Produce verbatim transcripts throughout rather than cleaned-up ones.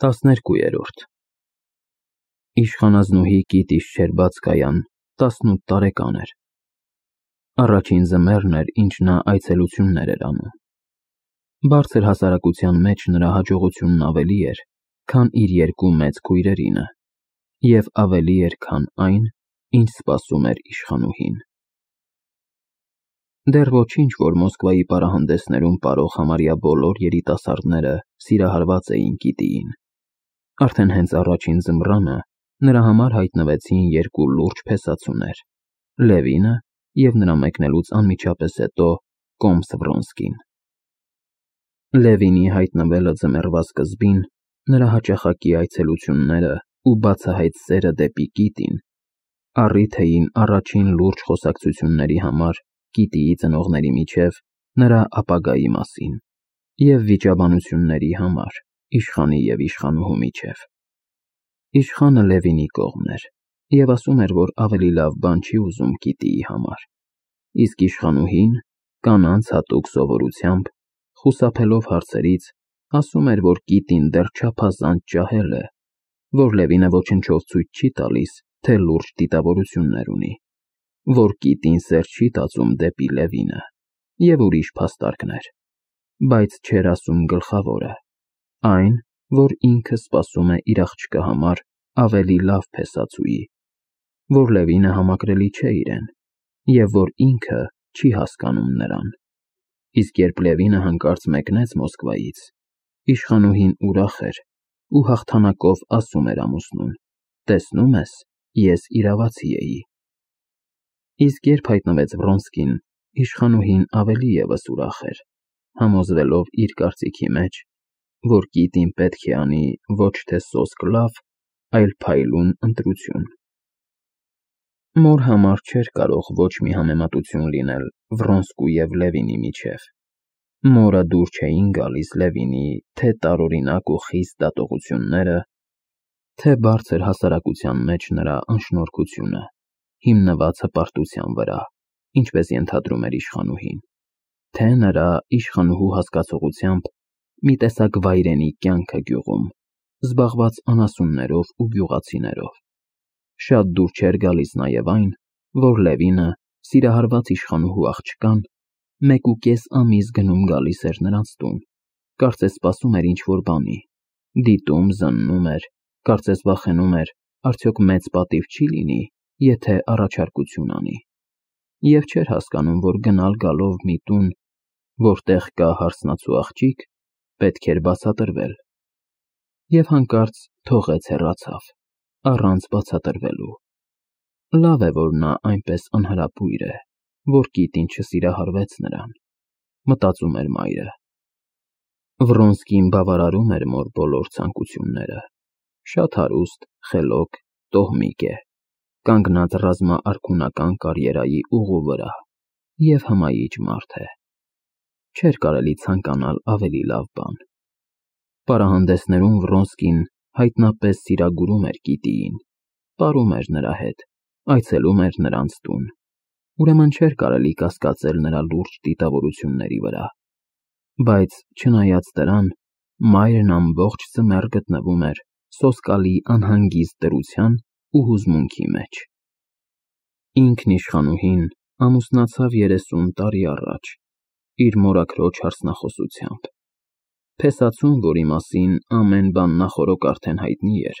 տասներկուերորդ Իշխանազնուհի Կիտիշ Շչերբացկայան տասնութ տարեկան էր։ Առաջին ձմեռն էր, ինչ նա այցելություններ էր անում։ Բարձր հասարակության մեջ նրա հաջողությունն ավելի էր, քան իր երկու մեծ քույրերինը, և ավելի էր, քան այն, ինչ սպասում էր իշխանուհին։ Դեռ ոչինչ, որ Մոսկվայի պարահանդեսներում պարող համարյա բոլոր երիտասարդները սիրահարված էին Կիտիին։ Արդեն հենց առաջին ձմռանը նրա համար հայտնվեցին երկու լուրջ փեսացուներ՝ Լևինը և նրա մեկնելուց անմիջապես հետո կոմս Վրոնսկին։ Լևինի հայտնվելը ձմեռվա սկզբին, նրա հաճախակի այցելությունները ու բացահայտ սերը դեպի Կիտին առիթ էին առաջին լուրջ խոսակցությունների համար Կիտիի ծնողների միջև նրա ապագայի մասին և վիճաբանությունների համար իշխանի և իշխանուհու միջև։ Իշխանը Լևինի կողմն էր և ասում էր, որ ավելի լավ բան չի ուզում Կիտիի համար, իսկ իշխանուհին, կանանց հատուկ սովորությամբ, խուսափելով հարցերից, ասում էր, որ Կիտին դեռ չափազանց ջահել է, որ Լևինը ոչնչով ցույց չի տալիս, թե լուրջ դիտավորություններ ունի, որ Կիտին սեր չի տածում դեպի Լևինը և ուրիշ փաստարկներ, բայց չէր ասում գլխավորը՝ այն, որ ինքը սպասում է իր աղջկա համար ավելի լավ փեսացուի, որ Լևինը համակրելի չէ իրեն և որ ինքը չի հասկանում նրան։ Իսկ երբ Լևինը հանկարծ մեկնեց Մոսկվայից, իշխանուհին ուրախ էր ու հաղթանակով ասում էր ամուսնուն. «Տեսնում ես, ես իրավացի էի»։ Իսկ երբ հայտնվեց Վրոնսկին, իշխանուհին ավելի ևս ուրախ էր, համոզվելով իր կարծիքի մեջ, որ Կիտին պետք է անի ոչ թե սոսկ լավ, այլ փայլուն ընտրություն։ Մոր համար չէր կարող ոչ մի համեմատություն լինել Վրոնսկու և Լևինի միջև։ Մորը դուր չէին գալիս Լևինի թե տարօրինակ ու խիստ դատողությունները, թե բարձր հասարակության մեջ նրա անշնորհքությունը, հիմնված հպարտության վրա, ինչպես ենթադրում էր իշխանուհին, թե նրա իշխանուհու հասկացողությամբ մի տեսակ վայրենի կյանքը գյուղում, զբաղված անասուններով ու գյուղացիներով։ Շատ դուր չէր գալիս նաև այն, որ Լևինը, սիրահարված իշխանուհու աղջկան, մեկուկես ամիս գնում֊գալիս էր նրանց տուն, կարծես սպասում էր ինչ-որ բանի, դիտում, զննում էր, կարծես վախենում էր, արդյոք մեծ պատիվ չի լինի, եթե առաջարկություն անի, և չէր հասկանում, որ գնալ֊գալով մի տուն, որտեղ կա հարսնացու աղջիկ, պետք էր բացատրվել։ Եվ հանկարծ թողեց հեռացավ, առանց բացատրվելու։ Լավ է, որ նա այնպես անհրապույր է, որ Կիտին չսիրահարվեց նրան, մտածում էր մայրը։ Վրոնսկին բավարարում էր մոր բոլոր ցանկությունները, շատ հարուստ, խելոք, տոհմիկ է, կանգնած ռազմաարքունական կարիերայի ուղու վրա և հմայիչ մարդ է։ Չէր կարելի ցանկանալ ավելի լավ բան։ Պարահանդեսներում Վրոնսկին հայտնապես սիրագուրում էր Կիտիին, պարում էր նրա հետ, այցելում էր նրանց տուն, ուրեմն չէր կարելի կասկածել նրա լուրջ դիտավորությունների վրա, բայց չնայած դրան, մայրն ամբողջ ձմեռ գտնվում էր սոսկալի անհանգիստ դրության ու հուզմունքի մեջ։ Ինքն իշխանուհին ամուսնացավ երեսուն տարի առաջ, իր մորաքրոջ հարսնախոսությամբ։ Փեսացուն, որի մասին ամեն բան նախօրոք արդեն հայտնի էր,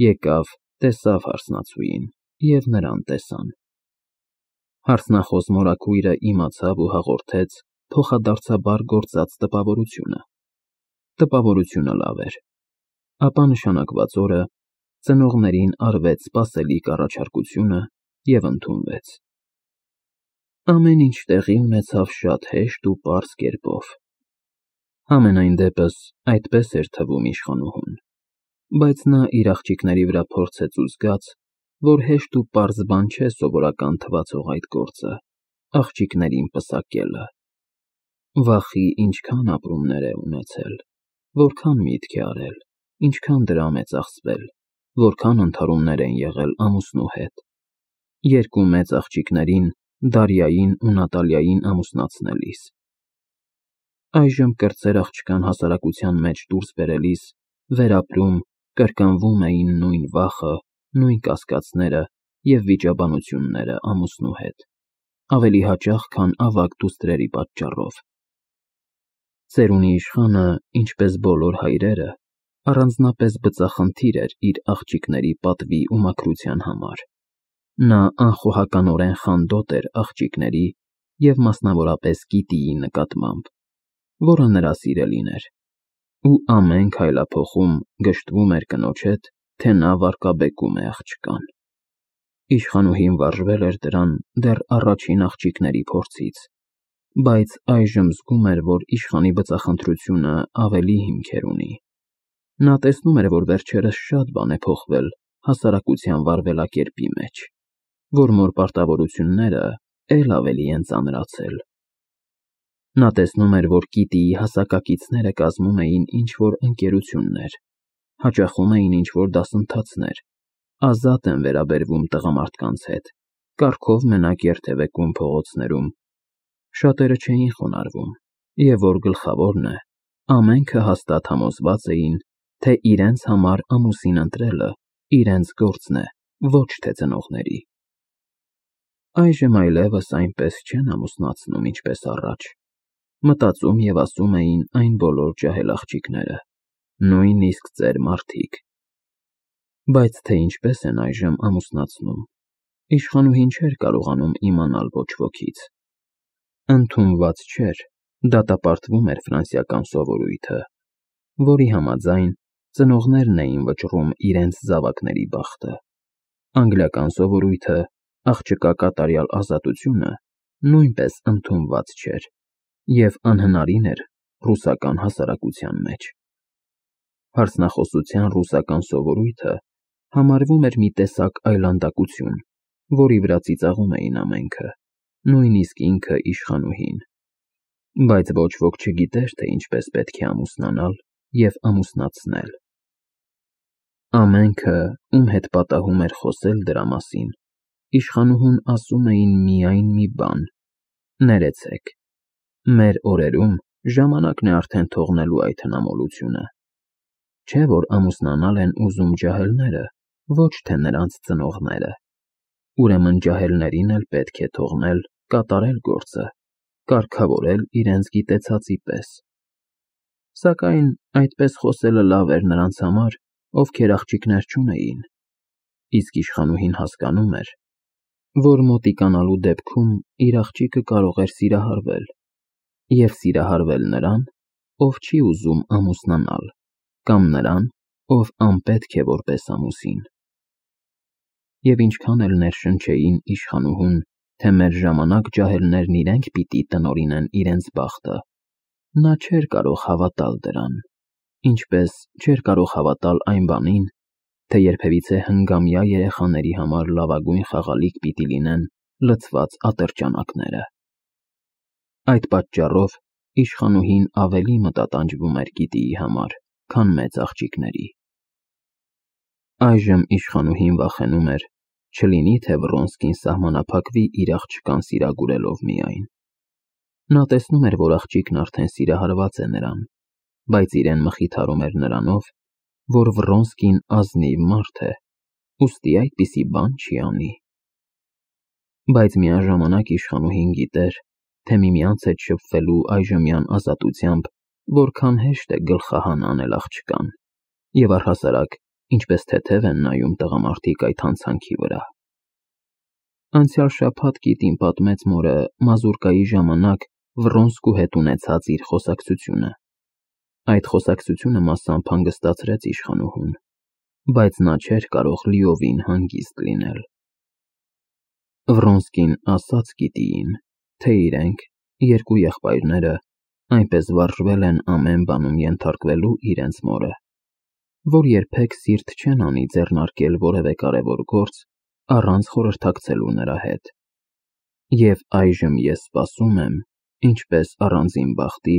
եկավ, տեսավ հարսնացուին և նրան տեսան։ Հարսնախոս մորաքույրը իմացավ ու հաղորդեց փոխադարձաբար գործած տպավորությունը։ Տպավորությունը լավ էր, ապա նշանակված օրը ծնողներին արվեց սպասելիք առաջարկությունը և ընդունվեց։ Ամեն ինչ տեղի ունեցավ շատ հեշտ ու պարզ կերպով։ Համենայն դեպս այդպես էր թվում իշխանուհուն, բայց նա իր աղջիկների վրա փորձեց ու զգաց, որ հեշտ ու պարզ բան չէ սովորական թվացող այդ գործը՝ աղջիկներին պսակելը։ Վախի ինչքան ապրումներ է ունեցել, որքան միտք է արել, ինչքան դրամ է ծախսվել, որքան ընդհարումներ են եղել ամուսնու հետ։ Երկու մեծ աղջիկներին՝ Դարյային ու Նատալիային ամուսնացնելիս։ Այժմ կրտսեր աղջկան հասարակության մեջ դուրս բերելիս վերապրում, կրկնվում էին նույն վախը, նույն կասկածները և վիճաբանությունները ամուսնու հետ, ավելի հաճախ, քան ավագ դուստրերի պատճառով։ Ծերունի իշխանը, ինչպես բոլոր հայրերը, առանձնապես բծախնդիր էր իր աղջիկների պատվի ու մաքրության համար։ Նա անխոհականորեն խանդոտ էր աղջիկների և մասնավորապես Կիտիի նկատմամբ, որը նրա սիրելին էր, ու ամեն քայլափոխում գժտվում էր կնոջ հետ, թե նա վարկաբեկում է աղջկան։ Իշխանուհին վարժվել էր դրան դեռ առաջին աղջիկների փորձից, բայց այժմ զգում էր, որ իշխանի բծախնդրությունը ավելի հիմքեր ունի։ Նա տեսնում էր, որ վերջերս շատ բան է փոխվել հասարակության վարվելակերպի մեջ, որ մոր պարտավորությունները էլ ավելի են ծանրացել։ Նա տեսնում էր, որ Կիտիի հասակակիցները կազմում էին ինչ-որ ընկերություններ, հաճախում էին ինչ-որ դասընթացներ, ազատ են վերաբերվում տղամարդկանց հետ, կառքով մենակ երթևեկում փողոցներում, շատերը չէին խոնարհվում, և որ գլխավորն է, ամենքը հաստատ համոզված էին, թե իրենց համար ամուսին ընտրելը իրենց գործն է, ոչ թե ծնողների։ Այժմ այլևս այնպես չեն ամուսնացնում, ինչպես առաջ, մտածում և ասում էին այն բոլոր ջահել աղջիկները, նույնիսկ ծեր մարդիկ։ Բայց թե ինչպես են այժմ ամուսնացնում, իշխանուհին չէր կարողանում իմանալ ոչ ոքից։ Ընդունված չէր, դատապարտվում էր ֆրանսիական սովորույթը, որի համաձայն ծնողներն էին վճռում իրենց զավակների բախտը։ Անգլիական սովորույթը, աղջկա կատարյալ ազատությունը, նույնպես ընդունված չէր և անհնարին էր ռուսական հասարակության մեջ։ Հարցնախոսության ռուսական սովորույթը համարվում էր մի տեսակ այլանդակություն, որի վրա ծիծաղում էին ամենքը, նույնիսկ ինքը իշխանուհին։ Բայց ոչ ոք չգիտեր, թե ինչպես պետք է ամուսնանալ և ամուսնացնել։ Ամենքը, ում հետ պատահում էր խոսել դրա մասին, իշխանուհուն ասում էին միայն մի բան. «Ներեցեք, մեր օրերում ժամանակն է արդեն թողնելու այդ հնամոլությունը։ Չէ՞ որ ամուսնանալ են ուզում ջահելները, ոչ թե նրանց ծնողները։ Ուրեմն ջահելներին էլ պետք է թողնել կատարել գործը, կարգավորել իրենց գիտեցածի պես»։ Սակայն այդպես խոսելը լավ էր նրանց համար, ովքեր աղջիկներ չունեին, իսկ իշխանուհին հասկանում էր, որ մոտիկանալու դեպքում իր աղջիկը կարող էր սիրահարվել, և սիրահարվել նրան, ով չի ուզում ամուսնանալ, կամ նրան, ով անպետք է որպես ամուսին։ Եվ ինչքան էլ ներշնչեին իշխանուհուն, թե մեր ժամանակ ջահելներն իրենք պիտի տնօրինեն իրենց բախտը, նա չէր կարող հավատալ դրան, ինչպես չէր կարող հավատալ այն բանին, թե երբևիցե հնգամյա երեխաների համար լավագույն խաղալիք պիտի լինեն լցված ատրճանակները։ Այդ պատճառով իշխանուհին ավելի մտատանջվում էր Կիտիի համար, քան մեծ աղջիկների։ Այժմ իշխանուհին վախենում էր, չլինի թե Վռոնսկին սահմանափակվի իր աղջկան սիրագուրելով միայն։ Նա տեսնում էր, որ աղջիկն արդեն սիրահարված է նրան, բայց իրեն մխիթարում էր նրանով, որ Վռոնսկին ազնիվ մարդ է, ուստի այդպիսի բան չի անի։ Բայց միաժամանակ իշխանուհին գիտեր, թե միմյանց հետ շփվելու այժմյան ազատությամբ որքան հեշտ է գլխահան անել աղջկան, և առհասարակ ինչպես թեթև են նայում տղամարդիկ այդ հանցանքի վրա։ Անցյալ շաբաթ Կիտին պատմեց մորը մազուրկայի ժամանակ Վռոնսկու հետ ունեցած իր խոսակցությունը։ Այդ խոսակցությունը մասամբ հանգստացրեց իշխանուհուն, բայց նա չէր կարող լիովին հանգիստ լինել։ Վռոնսկին ասաց Կիտիին, թե իրենք, երկու եղբայրները, այնպես վարժվել են ամեն բանում ենթարկվելու իրենց մորը, որ երբեք սիրտ չեն անի ձեռնարկել որևէ կարևոր գործ առանց խորհրդակցելու նրա հետ։ Եվ այժմ ես սպասում եմ, ինչպես առանձին բախտի,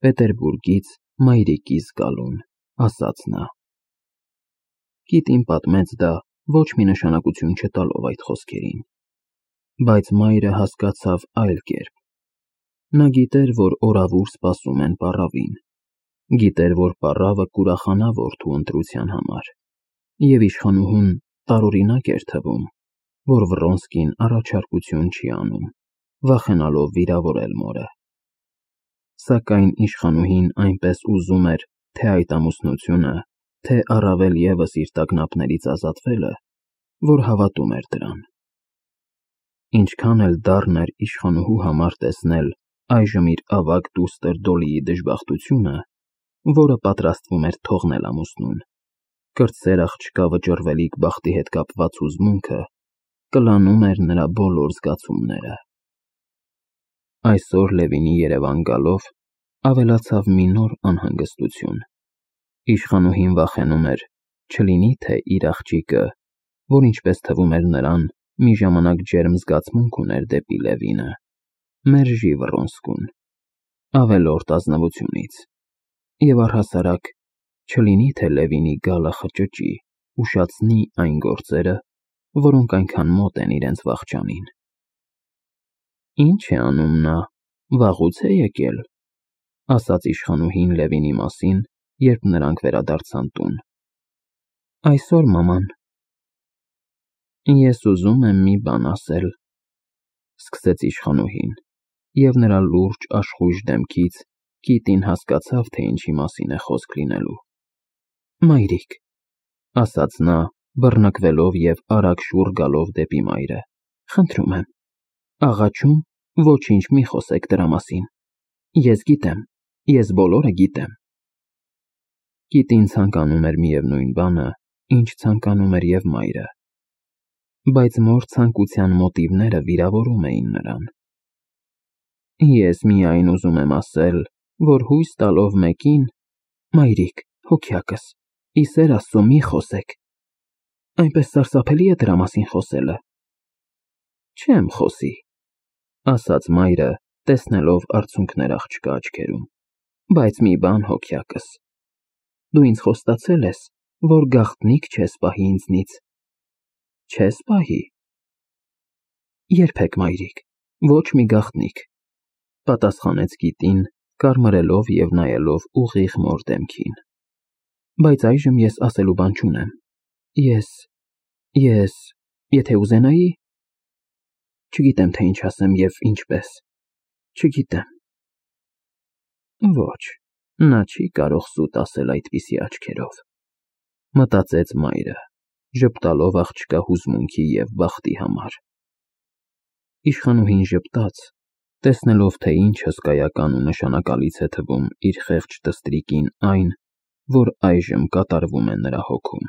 Պետերբուրգից մայրիկիս գալուն, ասաց նա։ Կիտին պատմեց դա ոչ մի նշանակություն չտալով այդ խոսքերին, բայց մայրը հասկացավ այլ կերպ։ Նա գիտեր, որ օրավուր սպասում են պառավին, Գիտեր, որ պառավը կուրախանա որդու ընտրության համար, և իշխանուհուն տարօրինակ էր թվում, որ Վռոնսկին առաջարկություն չի անում, վախենալով վիրավորել մորը։ Սակայն իշխանուհին այնպես ուզում էր թե այդ ամուսնությունը, թե առավել ևս իր տագնապներից ազատվելը, որ հավատում էր դրան։ Ինչքան էլ դառն էր իշխանուհու համար տեսնել այժմ իր ավագ դուստր Դոլիի դժբախտությունը, որը պատրաստվում էր թողնել ամուսնուն, կրտսեր աղջկա վճռվելիք բախտի հետ կապված հուզմունքը կլանում էր նրա բոլոր զգացումները։ Այսօր Լևինի երևան գալով ավելացավ մի նոր անհանգստություն։ Իշխանուհին վախենում էր, չլինի թե իր աղջիկը, որ ինչպես թվում էր նրան, մի ժամանակ ջերմ զգացմունք ուներ դեպի Լևինը, մերժի Վռոնսկուն, ավելորդ ազնվությունից, և առհասարակ չլինի թե Լևինի գալը խճճի, ուշացնի այն գործերը, որոնք այնքան մոտ են իրենց վախճանին։ Ինչ է անում նա, վաղուց է եկել, ասաց իշխանուհին Լևինի մասին, երբ նրանք վերադարձան տուն։ Այսօր, մաման։ Ես ուզում եմ մի բան ասել, սկսեց իշխանուհին, և նրա լուրջ աշխույժ դեմքից Կիտին հասկացավ, թե ինչի մասին է խոսք լինելու։ Մայրիկ, ասաց նա, բռնկվելով և արագ շուռ գալով դեպի մայրը, խնդրում եմ, աղաչում, ոչինչ մի խոսեք դրա մասին։ Ես գիտեմ, ես բոլորը գիտեմ։ Կիտին ցանկանում էր միևնույն բանը, ինչ ցանկանում էր և մայրը, բայց մոր ցանկության մոտիվները վիրավորում էին նրան։ Ես միայն ուզում եմ ասել, որ հույս տալով մեկին, մայրիկ, հոգյակս, ի սեր Աստծո մի խոսեք, այնպես սարսափելի է դրա մասին խոսելը։ Չեմ խոսի, ասաց մայրը, տեսնելով արցունքներ աղջկա աչքերում, բայց մի բան, հոգյակս, դու ինձ խոստացել ես, որ գաղտնիք չես պահի ինձնից։ Չես պահի։ Երբեք, մայրիկ, ոչ մի գաղտնիք, պատասխանեց Կիտին, կարմրելով և նայելով ուղիղ մոր դեմքին։ Բայց այժմ ես ասելու բան չունեմ։ Ես, ես, եթե ուզենայի, չգիտեմ, թե ինչ ասեմ և ինչպես, չգիտեմ։ Ոչ, նա չի կարող սուտ ասել այդպիսի աչքերով, մտածեց մայրը, ժպտալով աղջկա հուզմունքի և բախտի համար։ Իշխանուհին ժպտաց, տեսնելով, թե ինչ հսկայական ու նշանակալից է թվում իր խեղճ տստրիկին այն, որ այժմ կատարվում է նրա հոգում։